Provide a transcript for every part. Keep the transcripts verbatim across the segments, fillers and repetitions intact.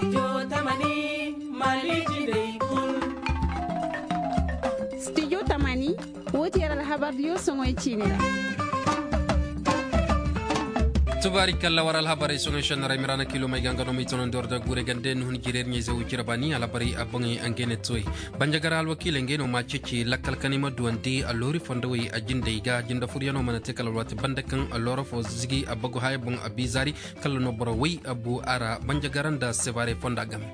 Studio tamani, wo ti yer alhabar diyo soŋoy ciini ra. Tubaari kalla war alhabarey soŋoy šennaray miraana kiilomey ga nga no ma i tonandi war da guurey gande ni hun jireer ɲayze wo cire baani alhabarey a boŋey ngey ne toy. Banjagara alwakiiley ngey no ma ceeci lakkal kanay ma duwandi alloori fondowey a jindey ga jinde furyanoo mana te kala alwaati banda kaŋ alloora foo zigi a bagu haya boŋ a biizaari. Kala no boro way a bu a ra banjagara nda sevare fonda game.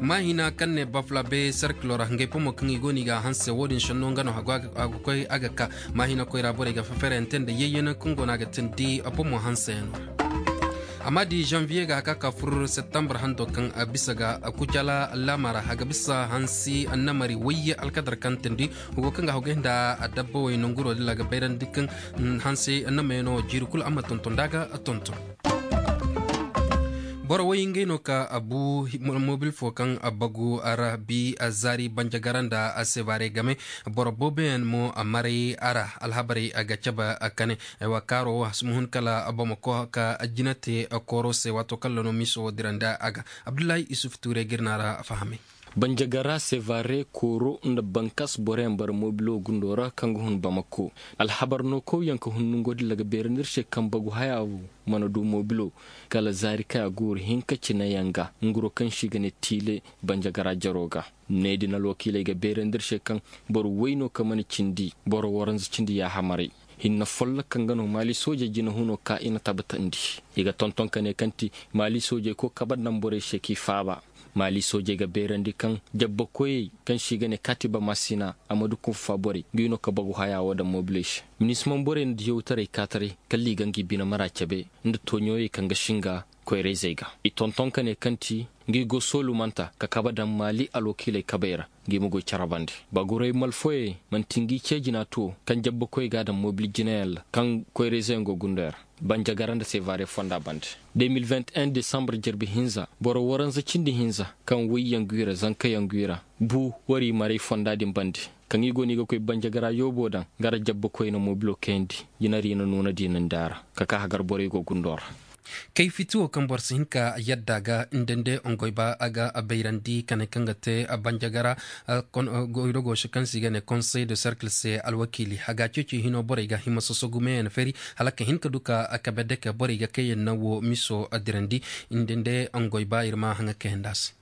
Maahina kaŋ ne baflabe serkilo ra ngey pomo kaŋ i go no i ga a hanse wo-din šenno nga no a ga koy a ga ka. Maahina koyra borey ga feferante nda yeyyena kaŋ go no a ga tindi pomo hanseyaŋo ra. Amma di janviye ga a ka ka fur septembre hando kaŋ a bisa ga kucala laama ra a ga bisa hansi annamari wayye alkadar kaŋ tindi. Hugo kaŋ ga hogey nda a dabba way nonguro dilla ga bayrandi kaŋ hanse annamayaŋo jiiri kulu a ma tonton da a ga tonton. Boro way ngey no ka a bu mobil fo kaŋ a bagu a ra bi a zaari banjagara nda a sebaare game. Boro booboyaŋ mo a maray a ra alhabarey a ga cabe a kane. Aywa kaaro wo a si ma hun kala a bamako ka a jina te a kooro se waato kaŋ la no miiso wo dirandi a ga. Abdullahi isuf tuure ga ir na a ra fahamay. Banjagara sevare kooro nda bankas boroyaŋ bara mobilo gundo ra kaŋ ga hun bamako. Alhabar no kaw yaŋ ka hun nongo dilla ga beerandi ir se kaŋ bagu haya wo mana du mobilo. Kala zaari kaŋ a guuru hinka cineyaŋ ga nguro kaŋ se i ga ne tiile banjagara jaro ga. Ne din alwakiiley ga beerandi ir se kaŋ boro way no kaŋ mana cindi boro waranza cindi yaahamaray. Hinne folloka nga no maali soojey jinahuno ka i na tabbatandi. I ga tonton ka ne kaŋ ti maali soojey koy kabe daŋ borey se k'i faaba. Maali soojey ga beerandi kaŋ jabbakoyey kaŋ se i ga ne kaatiba masina a ma du kunfa borey ngi no ka bagu haya wo daŋ mobiley se. Minisimaŋ borey na diyawtaray kaataray kala i ga ngi bine mara cabe nda tooɲooyey kaŋ ga singa koyra-izey ga. I tonton ka ne kaŋ ti ngi go soolumanta ka kabe daŋ maali alwakiiley kabey ra. Ngi ma goy carabandi baguray malfoyey man'ti ngi cee jina to kaŋ jabbakoyey ga a daŋ mobil jinayaŋ ra kaŋ koyra-izeyaŋ go gundey ra. Banjagara nda sevare fonda bande. Deux mille vingt et un desambar jarbi hinza boro waranza cindi hinza kaŋ wayyaŋ gwi ra zankayaŋ gwi ra bu war i maray fonda din bande. Kaŋ i go no i ga koy banjagara yoobo daŋ gara jabbakoy na mobilo kayandi. Jinari na nuuna diinandi a ra ka ka hagar borey go gundo ra. Kay fiti wo kaŋ boro si hin ka yadda ga nda nde ongoy ba a ga a bayrandi kane kaŋ ga te banjagara. Goydogo se kaŋ se i ga ne konsey de serkil se alwakiili a ga a ceeci hino borey ga hima sosogu meeyaŋ feeri hala ka hin ka du ka kabe deke borey ga kayyaŋ naŋ wo miso dirandi. Nda nde ongoy ba ir ma haŋa kayyaŋ nda a se.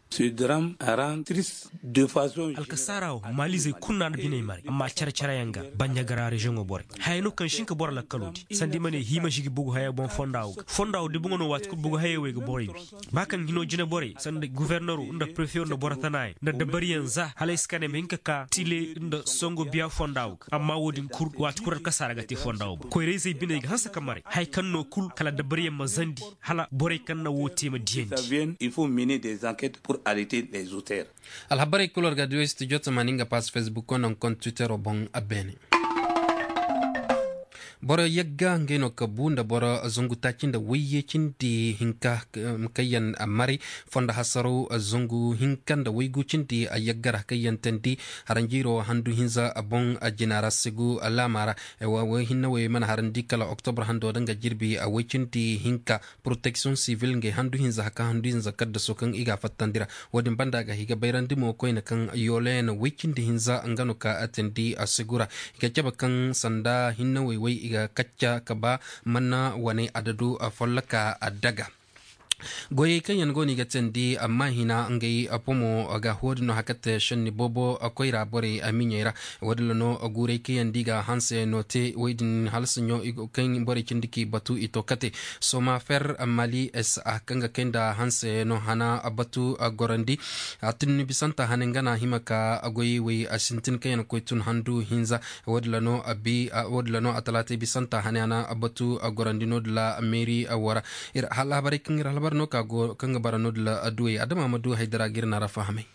Alkasaara wo maalizey kulu no a na biney maray amma care-careyaŋ ga banjagara reziyoŋo borey haya no kaŋ si hin ka boro lakkaloo di sanda i ma ne hima si gi bugu haya boŋ fonda wo ga fonda wo di boŋo no waati kulu bugu hayey wo i ga borey wi. Ba kaŋ hino jine borey sanda gofornero nda prefeyo nda boro tanayaŋ nda dabariyaŋ za hala ay si ka ne ma hin ka ka tile nda songo biya fonda wo ga amma wo-din kulu waati kulu alkasaara ga te fonda wo boŋ koyra-izey biney ga hanse ka maray haya kaŋ no kulu kala dabariyaŋ ma zandi hala borey kaŋ na wo te ma diyandi. Alhabarey kulu war ga a duwey studio tamaani nga pass facebook ko naŋ kont twittero boŋ a beene. Boro yagga ngey no ka bu nda boro zangu taaci nda wayye cindi hinka. Kayyaŋ maray fondo hasaraw zangu hinka nda waygu cindi a yagga ra kayyaŋ tandi haranjiiro handu hinza boŋ jina ra sigu laama ra. Way hinne wey mana harandi kala oktobra hando da nga jirbi a way cindi hinka. Poroteksiyoŋ sivil ngey handu hinza haka handu hinza kaddaso kaŋ i ga a fattandi ra. Wo-din banda ga i ga bayrandi mo koyne kaŋ yoole na way cindi hinza nga no ka a teendi a sigu ra. I ga cabe kaŋ sanda hinne wey wey i ga kacca ka ba mana wane adadu folloka a daga. Goyey kaŋ yaŋ go no i ga teendi amma hina ngey pomo ga wo-din no haka te šenni boobo koyra borey a miɲey ra. Wo-din ra no guurey kaŋ yaŋ da i ga hanse no te wey din hala saɲo kaŋ borey cindi k'i batu i to kate. Soma fer mali s a kaŋ ga kay nda hanse no hana batu gorandi. A tunni bisanta hane nga na hima ka goyey wey a sintin kaŋ yaŋ koy tun handu hinza. Wo-din ra no a bi wo-din ra no a talaatey bisanta hane hana batu gorandi no-din ra meeri wara. Hala habarey kaŋ ir alhabar no ka go kaŋ ga bara no-din ra adduwey adama ma du haydara ga ir na ra fahamay.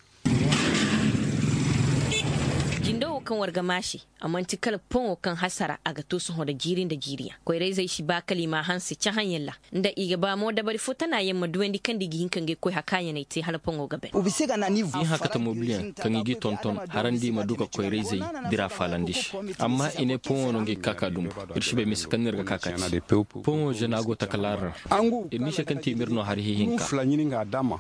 Jindo wo Kaŋ war ga maase, a man'ti kala poŋo kaŋ hasara a ga to sohõ nda jiiri nda jiiriyaŋ koyra-izey si ba kala i m'a hanse cahãyaŋ ra, nda i ga ba mo dabari fo tana yaŋ ma duwandi kaŋ nda i ga hin ka ngey koy hakaayaney te hala poŋo ga ban. I haŋ ka ta mobiliyaŋ kaŋ i g'i tonton harandi i ma du ka koyra-izey dira faalandi se. Amma i ne poŋo no ngey ga ka ka dumbu. Ir si bay mise kaŋ no ir ga ka ka te. Poŋo žena go takalaari ra. Ir n'i se kaŋ te i m'ir no hari hihinka.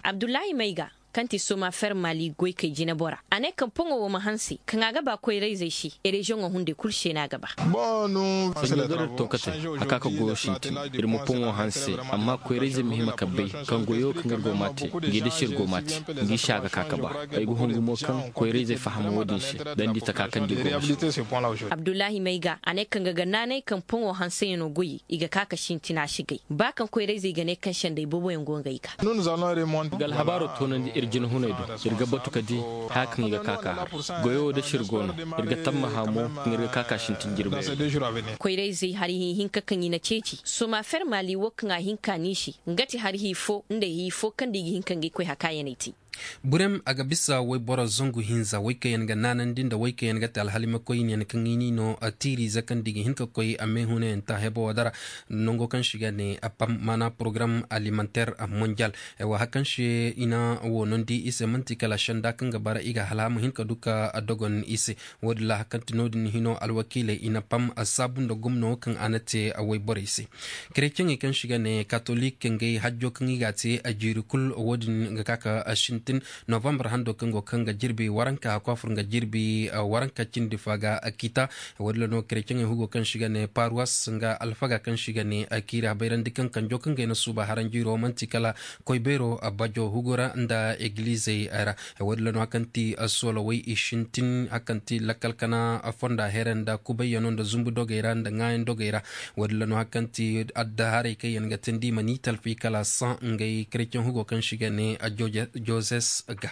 Abdullahi mayga, kaŋ ti soma fermali goykey jinebora, a ne kaŋ poŋo wo ma hanse kaŋ a ga ba koyra-izey se. Reziyoŋo hunday kulu se no a ga ba. Sanjo da ir tonkatey, a ka ka goyo sintin. Ir ma poŋo hanse, amma koyra-izey ma hima ka bay kaŋ goyo kaŋ ir go m'a te ngi da se ir go m'a te, ngi se a ga ka ka ba. Ay ga hungu mo kaŋ koyra-izey faham wo-din se, dandi taka kaŋ di go ma se. Abdullahi mayga, a ne kaŋ ga ga naanay kaŋ poŋo hanseyaŋo goyey, i ga ka ka sintin a si gay ba kaŋ koyra-izey ga ne kaŋ sendey booboyaŋ go ngey ga. Ga alhabaaro toonandi ir jinahuney do, ir ga batu ka di haya kaŋ i ga ka ka har. Goyo wo da sir go no, ir ga tammaha mo kaŋ ir ga ka ka sintin jirbi. Koyra-izey hari hi hinka kaŋ i na ceeci soma fermali wo kaŋ a hin ka n'i se, nga ti hari hi fo nda hi fo kaŋ nda i ga hin ka ngey koy hakaayaney te. Burem a ga bisa wayboro zangu hinza waykaŋyaŋ ga naanandi nda waykaŋyaŋ ga te alhalimakoyniyaŋ kaŋ i n'i no tiiriize kaŋ nda i ga hin ka koy a meehunayaŋ ta hebo wo dara. Nango kaŋ se i ga ne pam maana porogaram alimanteer monjal. Wa hari kaŋ se i na wo noondi i se man'ti kala senda kaŋ ga bara i ga hala a ma hin ka du ka dogon i se. Wo-din ra hari kaŋ ti no-din hino alwakiiley i na pam saabu nda gomno kaŋ a na te wayborey se. Kereceŋey kaŋ se i ga ne katolik ngey hajjo kaŋ i g'a te a jiiri kul wo-din ga ka ka sintin novambar hando kaŋ go kaŋ ga jirbi waranka a kwaafur nga jirbi waranka cindi fa ga kita. Wo-din ra no kereceŋey hugo kaŋ se i ga ne paruwas nga alfaga kaŋ se i ga ne kiiri habayrandi kaŋ kanjo kaŋ ga ay na suuba haranjiiro man'ti kala koy beero bajo hugo ra nda egilizey ra. Wo-din ra no hari kaŋ ti solowey i sintin hari kaŋ ti lakkal kana fonda here nda kubayyano nda zumbu dogey ra nda ŋaayan dogey ra. Wo-din ra no hari kaŋ ti addaharey kaŋ yaŋ ga teendi i ma ni talfi kala saŋ ngey kereceŋ hugo kaŋ se i ga ne jozes ga.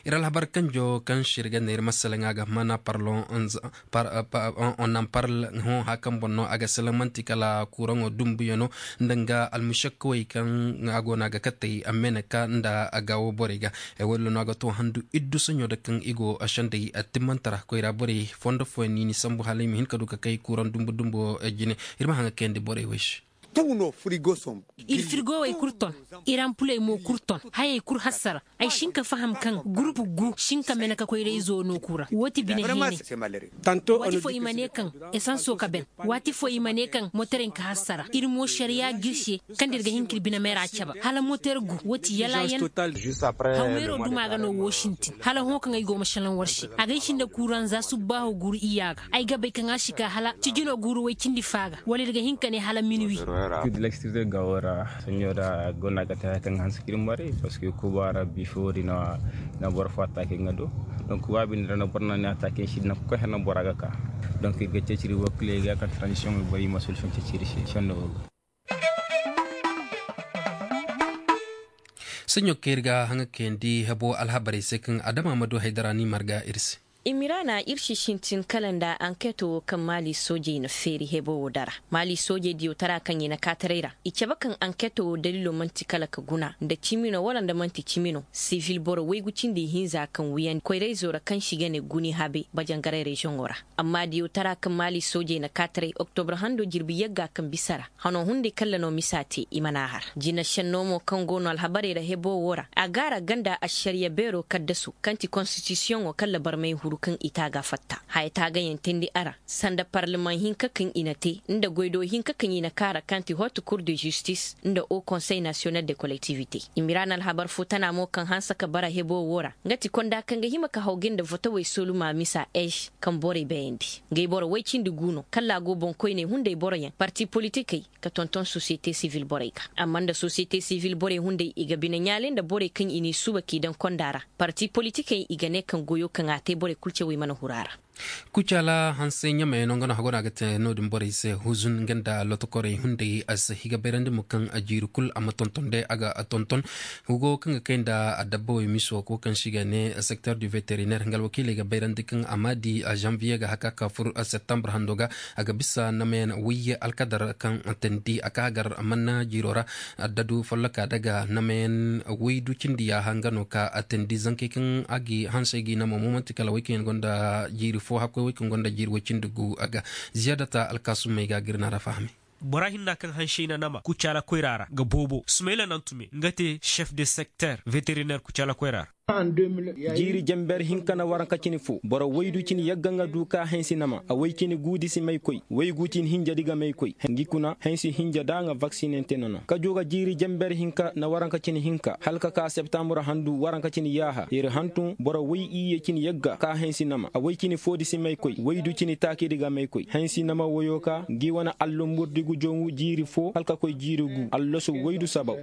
Ir alhabar kanjo kaŋ se ir ga ne ir ma salaŋ a ga mana parlon on nan parl hõ haya kaŋ boŋ no a ga salaŋ man'ti kala kuraŋo dumbuyano nda nga almušakkawey kaŋ a go no a ga katey a meeneka nda a gaawo borey ga. Ay wo-din ra no a ga to handu iddu saɲo da kaŋ i go sendey timmante ra koyra borey fondo fooyaŋ no i ni sambu hala i ma hin ka du ka kay kuraŋ dumbu dumbu jine. Ir ma haŋ ga kayandi borey wey se. Ir firgowey kul ton, ir ampuley mo kul ton, hayey kul hassara. Ay si hin ka faham kaŋ gurupu gu si hin ka mene ka koyra-izo no kuu ra woo ti bine heenay. Waati foo i ma ne kaŋ esanso ka ben. Waati foo i ma ne kaŋ moterey ka hassara ir mo ašariyaa g'ir se. Kaŋ da ir ga hin k'ir bine meera caba hala moter gu woo ti yalaayan. Hawmeeroo duma ga no woo sintin hala hõ kaŋ ay go ma šelaŋ war se a ga ay sinda kuuranza subbaahoo guuru iyya ga. Ay ga bay kaŋ a si ka hala cijinoo guuru woy cindi faa ga wala ir ga hin ka ne hala minuwi. Kid lekstirde ga woo ra. Soɲoo ra go no a ga te haya kaŋ ga hanse k'ir maray parceque kuba ra bifo di na boro foo attaake nga do. Donc kuba binde ra no boro na ne attaake si na koy hana bora ga ka. Donc ir ga ceciri woo kile ga ka transition boro i ma solution ceciri se sonda woo ga. Saɲo kaŋ ir ga haŋa kayandi hebo alhabarey se kaŋ adama ma du haydara ni marga ir se. Imiraana ir si sintin kala nda ankeetoo woo kaŋ maali soojey na feeri hebo woo dara. Maali soojey diyotaraa kaŋ i na kaataray ra i cabe kaŋ ankeetoo woo daliiloo man'ti kala ka guna nda cimi no wala nda man'ti cimi no. Sivil boro waygu cindi ihinza kaŋ wiyandi koyrayzoo ra kaŋ se i ga ne guni habe bajangaray reziyoŋoo ra. Amma diyotaraa kaŋ maali soojey na kaataray oktobra handoo jirbi yagga kaŋ bisa ra hanoo hunday kaŋ ra no misa te i mana a har. Jina šennoo mo kaŋ go no alhabarey ra heboo woo ra a gaara ganda ašariya beeroo kaddasoo kaŋ ti konstitisiyoŋoo kaŋ ra barmay huru kaŋ i taaga fatta haya taagayaŋ teendi a ra. Sanda parleman hinka kaŋ i na te nda goydoo hinka kaŋ i na kaara kaŋ ti hot kur de zistis nda o konsey nasiyonal de kolektivite. Imiraana alhabar foo tana mo kaŋ hanse ka bara heboo woo ra nga ti konda kaŋ ga hima ka haw ga nda votawey solumaa misa eš kaŋ borey bayandi. Ngey boro woy cindi gu no kala a go boŋkoyney hunday boroyaŋ parti politikey ka tonton sosiyete sivil borey ga. Amma nda sosiyete sivil borey hunday i ga bine ɲaale nda borey kaŋ i n'i suuba k'i daŋ konda ra. Parti politikey i ga ne kaŋ goyoo kaŋ a te borey kul cawey mana huru a ra. Kucaala hansay ɲamay no nga no hago no a ga te no-din borey se huzun nga nda lotokorey hunday a se i ga bayrandi mo kaŋ a jiiri kul a ma tonton day a ga tonton. Hugo kaŋ ga kay nda adabba wey miso ko kaŋ se i ga ne secteur du vétérinaire nga alwakiiley ga bayrandi kaŋ a ma di janvier ga haka ka fur septembre hando ga a ga bisa namayan wayye alkadar kaŋ tandi a ka gar manna jiiro ra. Addadu folloka daga namayan waydu cindi yaaha nga no ka tandi zankey kaŋ a gi hansey gi nama mo manti kala way kaŋ yaŋ gonda jiiri fo hakkoy way kaŋ gonda jiiri way cindi gu a ga. Ziyaadata alkaasumey ga gir na ra fahamay. Bora hinna kaŋ hansey na nama kucaala koyra ra ga boobo sumayla nantume nga te chef de secteur vétérinaire kucaala koyra ra. Jiiri jenber hinka na waranka cine fo boro waydu cine yagga nga du ka hensi nama a way cine guudi si may koy waygu cine hinjadi ga may koy. Ngi kuna hensi hinja da nga vaksinente nono ka jooga jiiri jenber hinka na waranka cine hinka hala ka ka septambur handu waranka cine yaaha yer hantum boro way iyye cine yagga ka hensi nama a way cine foodi si may koy waydu cine taakidi ga may koy hensi nama woyo ka ngi wane allumburdi gu jongu jiiri fo hala ka koy jiiri gu allasu waydu sabaw.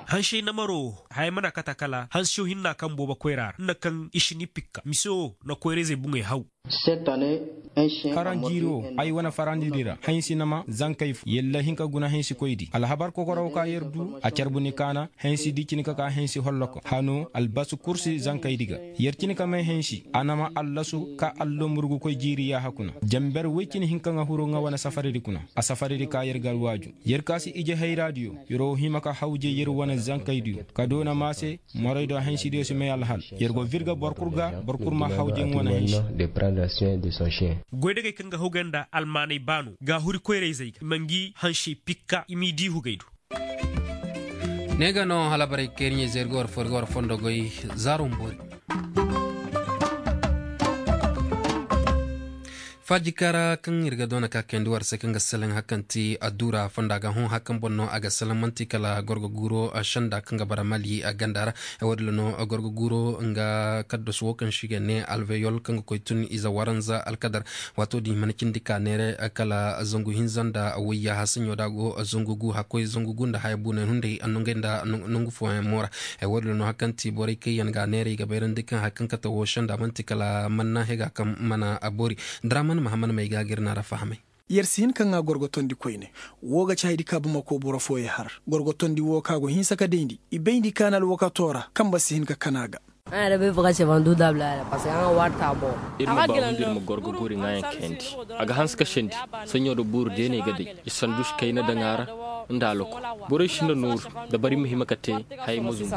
Hansey namaro haya mana kata kala hansiyo hinna kaŋ boobo koyra ra nda kaŋ i si ni pikka mise wo na koyrayzey buŋey haw. Karan jiiri wo ay wane farandidi ra hansi nama zankey fo yalla hin ka guna hansi koydi alhabar kokorow ka yer du a carbu ni kaana hansi di cine ka ka hansi holloko hano albasu kursi zankeydi ga. Yer cine ka may hansi a nama allasu ka allomburgu koy jiiri yaaha kuna jenber woy cine hin ka ŋa huru ŋa wane safaridi kuna a safaridi ka yer gar waaju. Yer ka si ije hayraadiyo yer wo hima ka hawje yer wane zankaydiyo ka doona maa se. Moraydo hansidiyo si may alhal yer go virga boro kul ga boro kul ma hawje nga wane hansi. Goydagey kaŋ ga hawgay nda almaanay baano ga huri koyrayzey ga i ma ngi hansey pikka i m'i di hugay do. Ne ga no halabarey kayriɲey zey ir ga war fo ir ga war fondo goy. Zaaro ma boori. Faaji kaara kaŋ ir ga doona ka kayandi war se kaŋ ga selaŋ hari kaŋ ti adduura fonda ga hõ hari kaŋ boŋ no a ga selaŋ man'ti kala gorgo guuro senda kaŋ ga bara mali ganda ra. Wo- din ra no gorgo guuro nga kaddos wo kaŋ se i ga ne alveyol kaŋ ga koy tun ize waranza alkadar. Waato din i mana cindi ka neere kala zangu hinza nda wayya hasaɲo da go zangu gu hakkoy zangu gu nda haya buunay hunday a nongey nda nongu fooyaŋ mo ra. Wo- din ra no hari kaŋ ti borey kaŋ yaŋ ga a neere i ga bayrandi kaŋ hari kaŋ kate wo senda man'ti kala manna hega kaŋ mana boori. Draman mahaman may ga gir na ra fahamay. Yer si hin ka ŋaa gorgotondi koyne. Wo ga ci haydi ka bamako boro fooyey har gorgotondi wo ka go hinsa ka dayndi i bayndi ka na alwakato ra kamba si hin ka kana ga. Iri ma baawundi iri ma gorgo guuri ŋaayaŋ kayandi. A ga hanse ka sendi saɲo da buuru deeney ga day. I sandu si kayna daŋ a ra nda alwako. Borey si nda nooru da bari ma hima ka te. Hayey ma zumbu.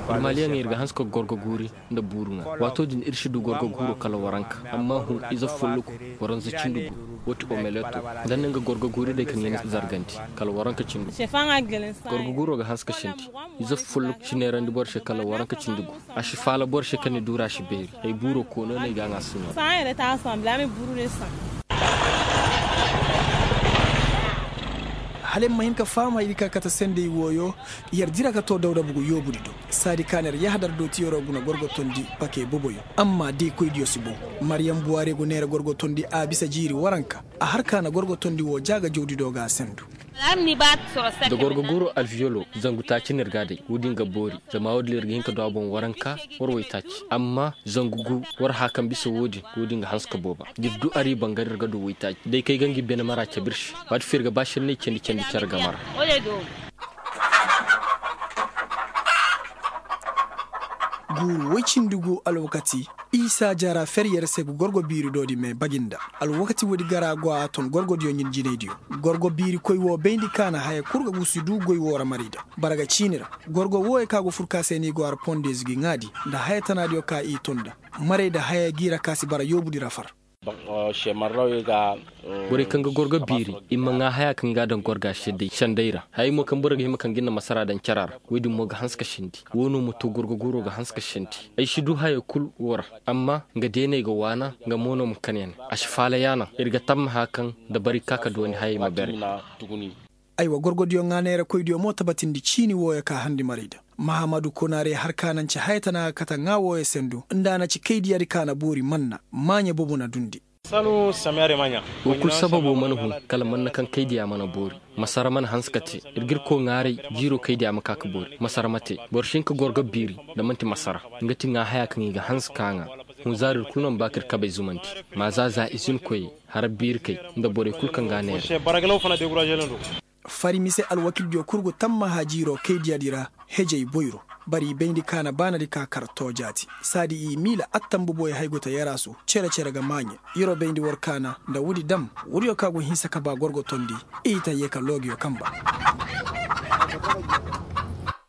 Iri maaliyaŋey iri ga hanse ka gorgo guuri nda buuru ŋaa. Waato din iri si du gorgo guuro kala waranka. Amma hun ize folloku waranza cindi gu. Wo ti omeleto. Da ni nga gorgo guuri day kaŋ ya ni zargandi kala waranka cindi gu. Gorgo guuro ga hanse ka sendi. Ize folloku si neerandi boro se kala waranka cindi gu. A si faala boro se kaŋ ni duura si beeri. Ay buuro koono no ay ga a ŋaa saɲo. Hala ay ma hin ka faham haydi ka kate sendey wooyo. Yer dira ka too dawda bugu yoobudi do. Saadi ka na yer yahadar do ti yeroo guna gorgotondi pake boboyo. Amma deekoydiyo si boŋ. Mariyam buwaare go neera gorgotondi a bisa jiiri waranka. A har ka na gorgotondi woo jaaga jawdi do ga a sendu. Da gorgo guuro alviyolo zangu taaci no ir ga a day. Woodin ga boori. Zama woodin ir ga hin ka du a boŋ waranka war waytaaci. Amma zangu gu war haya kaŋ bisa woodin. Woodin ga hanse ka booba. Da ir du ari bangare ir ga du waytaaci day kaŋ ay ga ngi bene mara cabe ir se. Waati fo ir ga ba senney candi candi care game ra. Guuru woy cindi gu alwakati. Isa jara fer yer se ga gorgo biiri doodi me bagi nda. Alwakati woodi gara go a ton gorgodiyo ɲin jinaydiyo. Gorgo biiri koy wo bayndi ka na haya kul ga gusu du goy wo ra marayda. Bara ga ciini ra. Gorgo wooyo ka go fur ka se ni go har pondeezi gi ŋaadi nda haya tanaadiyo ka i ton nda. Marayda haya gi ra ka si bara yoobudi ra far. Borey kaŋ ga gorgo biiri i ma ŋaa haya kaŋ ga daŋ gorga sendey ra. Hayey mo kaŋ boro ga hima kaŋ ga ni na masara daŋ cara ra. Woodin mo ga hanse ka sendi. Woo no ma to gorgo guuro ga hanse ka sendi. Ay si du haya kul woo ra. Amma nga deeney ga waana. Nga mo no ma kan ya ne. A si faala yaanaŋ ir ga tammaha kaŋ da bari ka ka dooni hayey ma bere. Aywa gorgodiyo ŋaa neerakoydiyo mo tabatindi ciini wooyo ka handi marayda. Mahamadu konaare har ka na nce haya tana ga kate ŋaa wooyo sendu nda a na ci kaydiyaadi ka na boori manna. Maaɲe bobo na dundi. Woo kul sababo mana hun. Kala manna kaŋ kaydiya mana boori. Masara mana hanse ka te. Ir ga irko ŋaaray jiiro kaydiya ma ka ka boori masara ma te. Boro si hin ka gorgo biiri nda man'ti masara. Nga ti ŋaa haya kaŋ i ga hanse ka ŋaa. Hunzaari ir kul no ma ba ka ir kabey zumandi. Maaza za izinkoyey, hara biirikey, nda borey kul kaŋ ga a neera. Fari mise alwakildiyo kul go tammaha jiiroo kaydiyaadi ra. Hejey boyro, bari i bayndi kaana baanadi ka kar toojaati. Saadi i miila attambuboy hayguta yaraasu, cere-cere ga maaɲe. Yer'o bayndi war kaana nda woodi dam. Woodiyo ka go hinsa ka ba gorgo tondi. I ta yee ka loogiyo kamba.